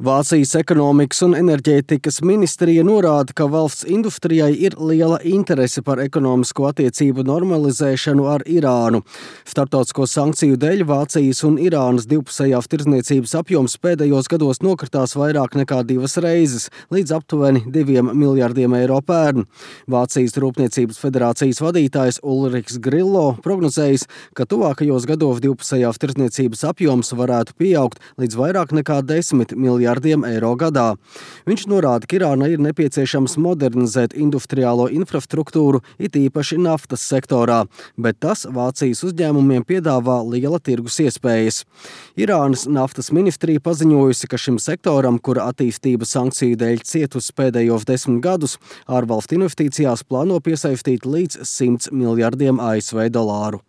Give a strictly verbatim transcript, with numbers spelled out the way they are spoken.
Vācijas ekonomikas un enerģētikas ministrija norāda, ka valsts industrijai ir liela interese par ekonomisko attiecību normalizēšanu ar Irānu. Starptautisko sankciju dēļ Vācijas un Irānas divpusējās tirdzniecības apjoms pēdējos gados nokritās vairāk nekā divas reizes, līdz aptuveni diviem miljardiem eiro pērn. Vācijas Rūpniecības federācijas vadītājs Ulrichs Grillo prognozējis, ka tuvākajos gados divpusējās tirdzniecības apjoms varētu pieaugt līdz vairāk nekā desmit miljardiem eiro gadā. Viņš norāda, ka Irānai ir nepieciešams modernizēt industriālo infrastruktūru, it īpaši naftas sektorā, bet tas Vācijas uzņēmumiem piedāvā liela tirgus iespējas. Irānas naftas ministrija paziņojusi, ka šim sektoram, kura attīstība sankciju dēļ cietusi pēdējos desmit gadus, ārvalstu investīcijās plāno piesaistīt līdz simts miljardiem A S V dolāru.